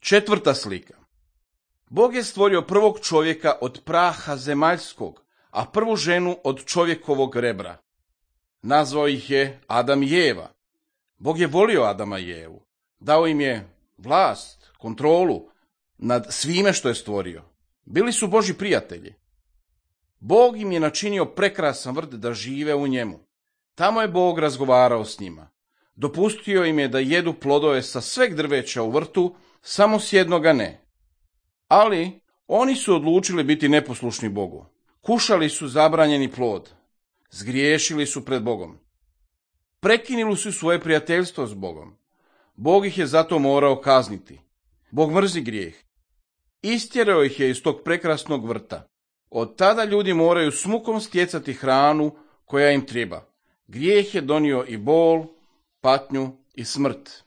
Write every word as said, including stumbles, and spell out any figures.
Četvrta slika. Bog je stvorio prvog čovjeka od praha zemaljskog, a prvu ženu od čovjekovog rebra. Nazvao ih je Adam i Eva. Bog je volio Adama i Evu. Dao im je vlast, kontrolu nad svime što je stvorio. Bili su Božji prijatelji. Bog im je načinio prekrasan vrt da žive u njemu. Tamo je Bog razgovarao s njima. Dopustio im je da jedu plodove sa sveg drveća u vrtu, samo s jednoga ne. Ali oni su odlučili biti neposlušni Bogu. Kušali su zabranjeni plod. Zgriješili su pred Bogom. Prekinuli su svoje prijateljstvo s Bogom. Bog ih je zato morao kazniti. Bog mrzi grijeh. Istjerao ih je iz tog prekrasnog vrta. Od tada ljudi moraju s mukom stjecati hranu koja im treba. Grijeh je donio i bol, patnju i smrt.